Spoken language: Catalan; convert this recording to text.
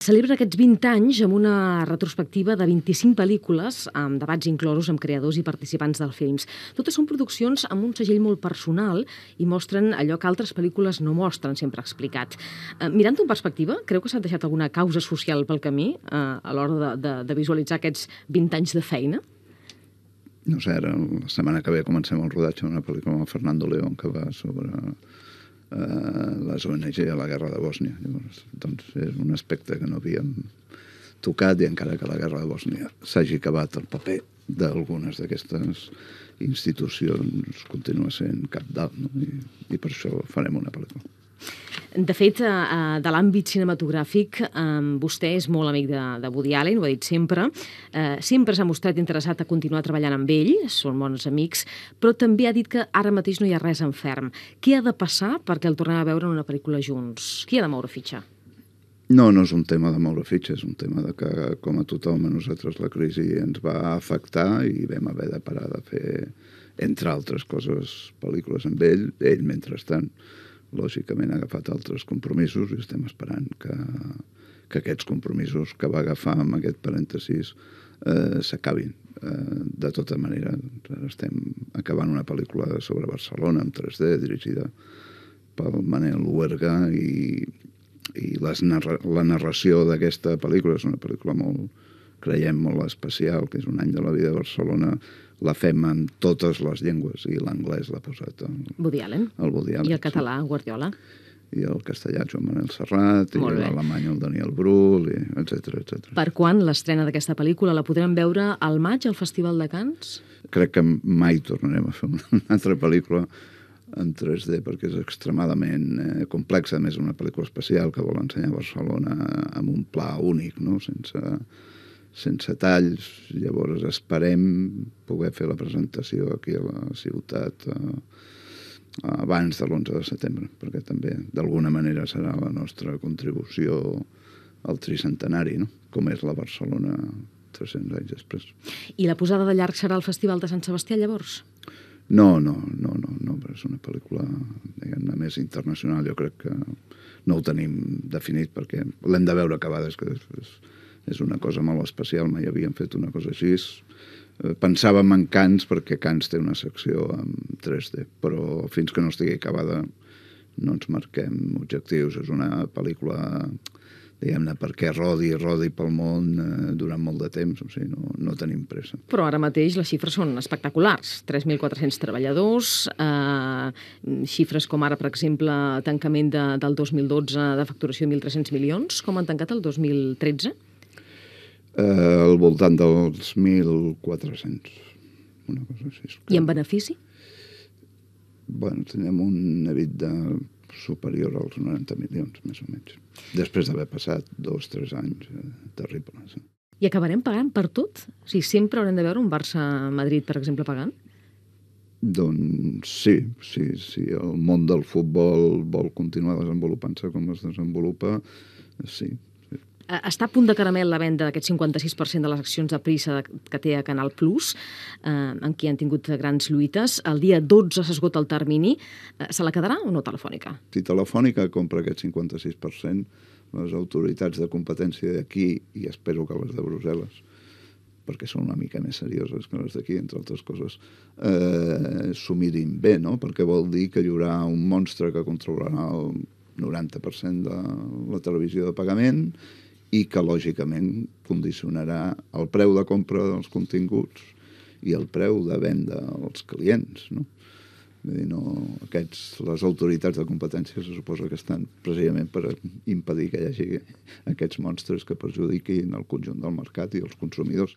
Celebra aquests 20 anys amb una retrospectiva de 25 pel·lícules, amb debats inclosos amb creadors i participants dels films. Totes són produccions amb un segell molt personal i mostren allò que altres pel·lícules no mostren, sempre explicat. Mirant-ho en perspectiva, creu que s'ha deixat alguna causa social pel camí a l'hora de visualitzar aquests 20 anys de feina? No sé, ara la setmana que ve comencem el rodatge d'una pel·lícula amb el Fernando León que va sobre les ONG a la guerra de Bòsnia. Llavors, doncs, és un aspecte que no havíem tocat i encara que la guerra de Bòsnia s'hagi acabat el paper d'algunes d'aquestes institucions continua sent cabdal, no? I per això farem una pel·lícula. De fet, de l'àmbit cinematogràfic, vostè és molt amic de Woody Allen, ho ha dit sempre. Sempre s'ha mostrat interessat a continuar treballant amb ell, són bons amics, però també ha dit que ara mateix no hi ha res en ferm. Què ha de passar perquè el tornem a veure en una pel·lícula junts? Qui ha de moure fitxa? No és un tema de moure fitxa, és un tema de que, com a tothom, a nosaltres la crisi ens va afectar i vam haver de parar de fer, entre altres coses, pel·lícules amb ell. Ell, mentrestant, lògicament ha agafat altres compromisos i estem esperant que aquests compromisos que va agafar amb aquest parèntesis s'acabin. De tota manera, estem acabant una pel·lícula sobre Barcelona en 3D dirigida pel Manel Huerga i la narració d'aquesta pel·lícula és una pel·lícula molt, creiem, molt especial, que és un any de la vida de Barcelona. La fem en totes les llengües i l'anglès l'ha posat Woody Allen. I el català, Guardiola. I el castellà, Joan Manel Serrat, i l'alemany, el Daniel Brühl, etcètera. Per quan l'estrena d'aquesta pel·lícula? La podrem veure al maig al Festival de Cannes? Crec que mai tornarem a fer una altra pel·lícula en 3D perquè és extremadament complexa. A més, una pel·lícula especial que vol ensenyar Barcelona amb un pla únic, no? Sense talls. Llavors esperem poder fer la presentació aquí a la ciutat abans de l'11 de setembre, perquè també d'alguna manera serà la nostra contribució al tricentenari, no? Com és la Barcelona 300 anys després. I la posada de llarg serà al Festival de Sant Sebastià, llavors? No, però és una pel·lícula, diguem-ne, més internacional. Jo crec que no ho tenim definit perquè l'hem de veure acabada, és una cosa molt especial, mai havíem fet una cosa així. Pensàvem en Cannes perquè Cannes té una secció en 3D, però fins que no estigui acabada no ens marquem objectius. És una pel·lícula, diguem-ne, perquè rodi pel món durant molt de temps, o sigui, no tenim pressa. Però ara mateix les xifres són espectaculars. 3.400 treballadors, xifres com ara, per exemple, tancament del 2012 de facturació de 1.300 milions. Com han tancat el 2013? Al voltant dels 1.400, una cosa així. I en benefici? Bueno, tenim un EBITDA superior als 90 milions, més o menys. Després d'haver passat 2-3 anys terribles. I acabarem pagant per tot? O sigui, sempre haurem de veure un Barça-Madrid, per exemple, pagant? Doncs sí. El món del futbol vol continuar desenvolupant-se com es desenvolupa, sí. Està a punt de caramel la venda d'aquest 56% de les accions de Prisa que té a Canal Plus, en qui han tingut grans lluites. El dia 12 s'esgota el termini. Se la quedarà o no Telefònica? Si Telefònica compra aquest 56%, les autoritats de competència d'aquí, i espero que les de Brussel·les, perquè són una mica més serioses que les d'aquí, entre altres coses, s'ho mirin bé, no? Perquè vol dir que hi haurà un monstre que controlarà el 90% de la televisió de pagament i que, lògicament, condicionarà el preu de compra dels continguts i el preu de venda als clients, no? Vull dir, les autoritats de competència se suposa que estan precisament per impedir que hi hagi aquests monstres que perjudiquin el conjunt del mercat i els consumidors.